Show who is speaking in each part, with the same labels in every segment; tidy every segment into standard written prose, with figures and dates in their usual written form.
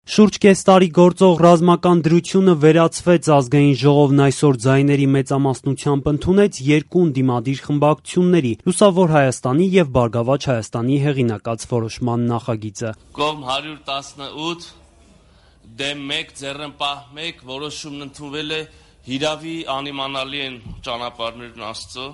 Speaker 1: Շուրջ կես տարի գործող ռազմական դրությունը վերացվեց, ազգային ժողովն այսօր ձայների մեծամասնությամբ ընդունեց երկու ընդդիմադիր խմբակցությունների՝ Լուսավոր Հայաստանի և Բարգավաճ Հայաստանի հեղինակած որոշման նախագիծը։
Speaker 2: Կողմ 118, դեմ 1, ձեռնպահ 1 որոշումն ընդունվել է, հիրավի անիմանալի են ճանապարհներն Աստծո։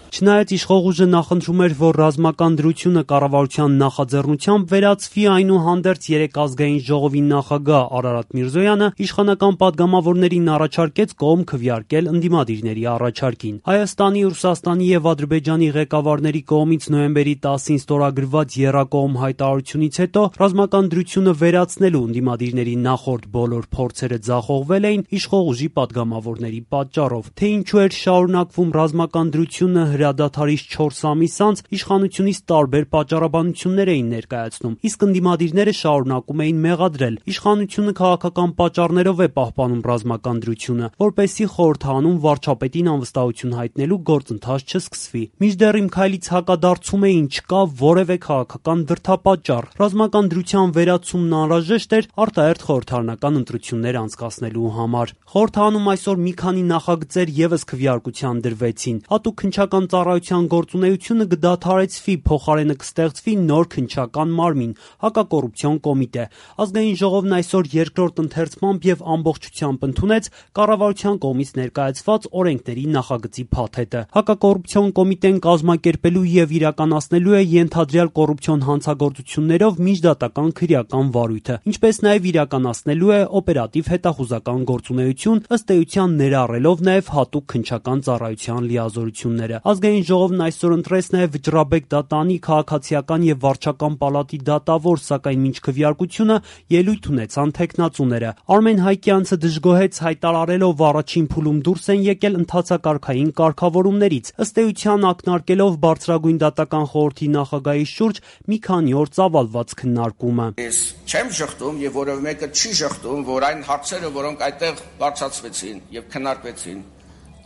Speaker 1: Չնայած իշխող ուժը նախընտրում էր, որ ռազմական դրությունը կառավարության նախաձեռնությամբ վերացվի, այնուհանդերձ երեկ ազգային ժողովի նախագահ Արարատ Միրզոյանը իշխանական պատգամավորներին առաջարկեց կողմ քվեարկել ընդդիմադիրների առաջարկին։ Հայաստանի, Ռուսաստանի և Ադրբեջանի ղեկավարների կողմից նոյեմբերի 10-ին ստորագրված եռակողմ հայտարարությունից հետո ռազմական դրությունը վերացնելու ընդդիմադիրների նախորդ բոլոր փորձերը ձախողվել էին իշխող ուժի պատգամավորների պատճառով։ Թե ինչու էր շարունակվում ռազմական դրությունը հրադադարից 4 ամիս անց, իշխանությունից տարբեր պատճառաբանություններ էին ներկայացնում, իսկ ընդդիմադիրները շարունակում էին մեղադրել. իշխանությունը քաղաքական պատճառներով է պահպանում ռազմական դրությունը, որպեսզի խորհրդարանում վարչապետին անվստահություն հայտնելու գործընթաց չսկսվի։ Մինչդեռ իմ քայլից հակադարձում էին, չկա որևէ քաղաքական դրդապատճառ։ Ռազմական դրության վերացումն անհրաժեշտ էր արտահերթ խորհրդարանական ընտրություններ անցկացնելու համար։ Խորհրդարանում այսօր մի քանի նախագծեր ևս քվեարկության դրվեցին։ Հատուկ քննչական ծառայության գործունեությունը կդադարեցվի, փոխարենը կստեղծվի նոր քննչական մարմին՝ հակակոռուպցիոն կոմիտե։ Ազգային ժողովն այսօր երկրորդ ընթերցմամբ և ամբողջությամբ ընդունեց կառավարության կողմից ներկայացված օրենքների նախագծի փաթեթը։ Հակակոռուպցիոն կոմիտեն կազմակերպելու և իրականացնելու է ենթադրյալ կոռուպցիոն հանցագործություններով միջդատական քրեական վարույթը, ինչպես նաև իրականացնելու է օպերատիվ հետախուզական գործունեություն, ըստ էության ներառելով նաև հատուկ քննչական ծառայության լիազորությունները։ Ազգային ժողովն այսօր ընտրեց նաև Վճռաբեկ դատանի քաղաքացիական և վարչական պալատի դատավոր, սակայն մինչ քվեարկությունը ելույթ ունեցան թեկնածուները։ Արմեն Հայկյանցը դժգոհեց, հայտարարելով առաջին փուլում դուրս են եկել ընդհանցակարգային կարգավորումներից, ըստ էության ակնարկելով բարձրագույն դատական խորհրդի նախագահի շուրջ մի քանի օր ծավալված քննարկումը։
Speaker 3: Ես չեմ շղթում եւ որևէ մեկը չի շղթում, որ այն հարցերը, որոնք այդտեղ բարձրացվեցին եւ քննարկվեցին,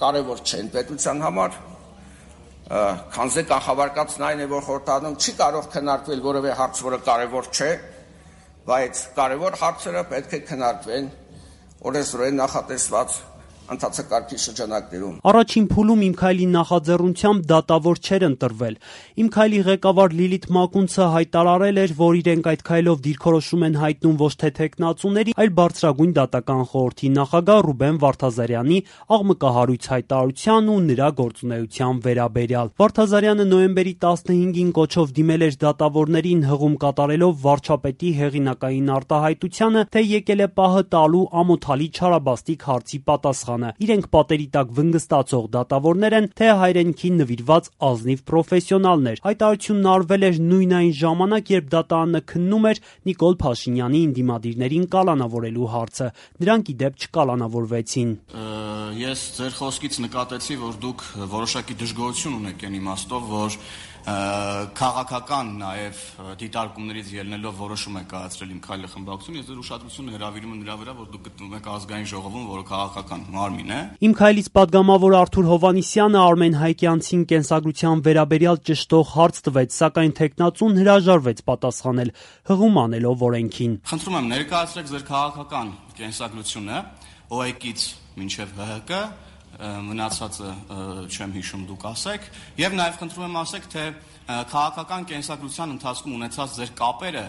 Speaker 3: կարևոր չեն պետության համար, քանզի կանխավարկածն այն է, որ խորհրդարանում չի կարող քննարկվել որևէ հարց, որը կարևոր չէ, բայց կարևոր հարցերը պետք է քննարկվեն օրենսդրորեն նախատեսված ընդհանցակարգի շրջանակներում։
Speaker 1: Առաջին փուլում Իմ քայլի նախաձեռնությամբ դատավոր չէր ընտրվել։ Իմ քայլի ղեկավար Լիլիթ Մակունցը հայտարարել էր, որ իրենք այդ քայլով դիրքորոշում են հայտնում ոչ թե թեկնածուների, այլ բարձրագույն դատական խորհրդի նախագահ Ռուբեն Վարդազարյանի աղմկահարույց հայտարարության ու նրա գործունեության վերաբերյալ։ Վարդազարյանը նոյեմբերի 15-ին կոչով դիմել էր դատավորներին, հղում կատարելով վարչապետի հեղինակային արտահայտությանը, թե եկել է պահը տալու ամոթալի չարաբաստիկ հարցի պատասխանը։ Իրենք պատերի տակ վնգստացող դատավորներ են, թե հայրենիքին նվիրված ազնիվ պրոֆեսիոնալներ։ Հայտարարությունն արվել էր նույն այն ժամանակ, երբ դատարանը քննում էր Նիկոլ Փաշինյանի ընդդիմադիրներին կալանավորելու հարցը։ Նրանք ի դեպ չկալանավորվեցին։
Speaker 4: Ես ձեր խոսքից նկատեցի, որ դուք որոշակի դժգոհություն ունեք այն իմաստով, որ քաղաքական նաև դիտարկումներից ելնելով որոշում է կայացրել Իմ քայլի խմբակցությունը։ Ես ձեր ուշադրությունը հրավիրում եմ նրա վրա, որ դուք գտնվում եք ազգային ժողովում, որը քաղաքական մարմին է։
Speaker 1: Իմ քայլից պատգամավոր Արթուր Հովհաննիսյանը Արմեն Հայկյանցին կենսագրության վերաբերյալ ճշտող հարց տվեց, սակայն թեկնածուն հրաժարվեց պատասխանել, հղում անելով օրենքին։
Speaker 4: Խնդրում եմ ներկայացրեք ձեր քաղաքական կենսագրությունը ՕԵԿ-ից մինչև ՀՀԿ, մնացածը չեմ հիշում, դուք ասեք, եւ նաեւ խնդրում եմ ասեք, թե քաղաքական կենսագրության ընթացքում ունեցած ձեր կապերը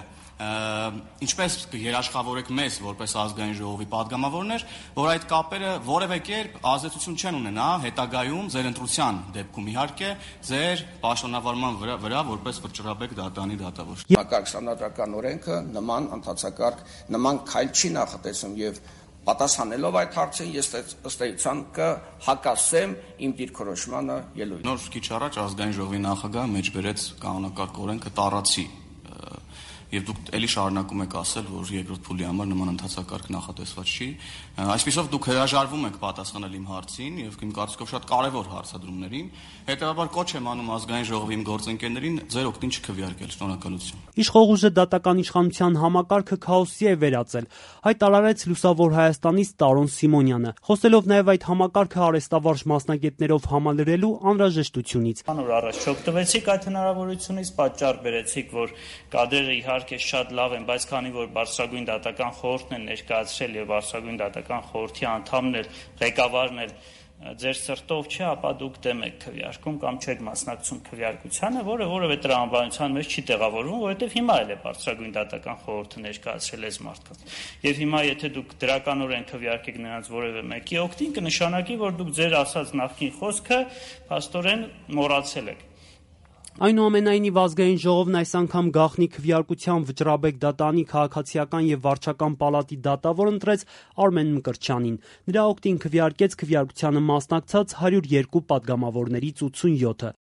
Speaker 4: ինչպես կերաշխավորեք մեզ որպես ազգային ժողովի պատգամավորներ, որ այդ կապերը որևէ կերպ ազդեցություն չեն ունենա հետագայում ձեր ընտրության դեպքում իհարկե ձեր պաշտոնավարման վրա որպես Վճռաբեկ դատանի դատավոր։
Speaker 3: Համակարգ սահմանադրական օրենքը նման ընդհանցակարգ, նման քայլ չի նախատեսում եւ պատասխանելով այդ հարցին ես ըստ էության կհակասեմ իմ դիրքորոշմանը ելույթ։
Speaker 4: Նոր քիչ առաջ ազգային ժողովի նախագահը մեջբերեց կանոնակարգ օրենքը տառացի եւ դուք էլի շարունակում եք ասել, որ երկրորդ փուլի համար նման ընդհանցակարգ նախատեսված չի։ Այսպիսով դուք հրաժարվում եք պատասխանել իմ հարցին եւ իմ կարծիքով շատ կարեւոր հարցադրումներին։ Հետեւաբար կոչ եմ անում ազգային ժողովի իմ գործընկերներին ձեր օգտին չքվեարկել։ Շնորհակալություն։
Speaker 1: Իշխող ուժը դատական իշխանության համակարգը քաոսի է վերածել, հայտարարեց Լուսավոր Հայաստանից Տարոն Սիմոնյանը, խոսելով նաև այդ համակարգը արհեստավարժ մասնագետներով համալրելու անհրաժեշտությունից։
Speaker 5: Անոր առաջ չօգտվեցիք այդ հնարավորությունից, պատճառ բերեցիք, որ կադրերը իհարկե իհարկե շատ լավ են, բայց քանի որ բարձրագույն դատական խորհուրդն են ներկայացրել եւ բարձրագույն դատական խորհրդի անդամն էլ ղեկավարն էլ ձեր սրտով չէ, ապա դուք դեմ եք քվեարկում կամ չեք մասնակցում քվեարկությանը, որը որևէ տրամաբանության մեջ չի տեղավորվում, որովհետև հիմա էլ է բարձրագույն դատական խորհուրդը ներկայացրել այս մարդկանց։ Եվ հիմա եթե դուք դրականորեն քվեարկեք նրանց որևէ մեկի օգտին, կնշանակի, որ դուք ձեր ասած նախկին խոսքը փաստորեն մոռացել եք։
Speaker 1: Այնուամենայնիվ Ազգային ժողովն այս անգամ գաղտնի քվեարկությամբ Վճռաբեկ դատանի քաղաքացիական եւ վարչական պալատի դատավոր ընտրեց Արմեն Մկրտչյանին։ Նրա օգտին քվեարկեց քվեարկությանը մասնակցած 102 պատգամավորներից 87-ը։